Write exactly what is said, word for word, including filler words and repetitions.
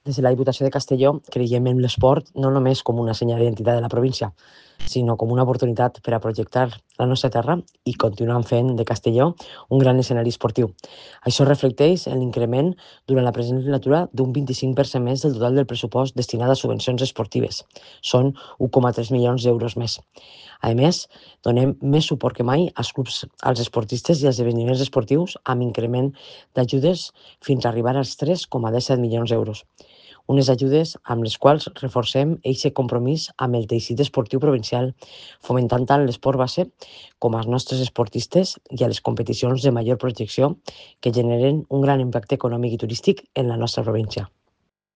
Des de la Diputació de Castelló creiem en l'esport no només com una senyal d'identitat de la província, sinó com una oportunitat per a projectar la nostra terra i continuar fent de Castelló un gran escenari esportiu. Això es reflecteix en l'increment durant la present legislatura d'un vint-i-cinc per cent més del total del pressupost destinat a subvencions esportives. Són un coma tres milions d'euros més. A més, donem més suport que mai als clubs, als esportistes i als esdeveniments esportius amb increment d'ajudes fins a arribar als tres coma disset milions d'euros. Unes ajudes amb les quals reforcem aquest compromís amb el teixit esportiu provincial, fomentant tant l'esport base com als nostres esportistes i a les competicions de major projecció que generen un gran impacte econòmic i turístic en la nostra província.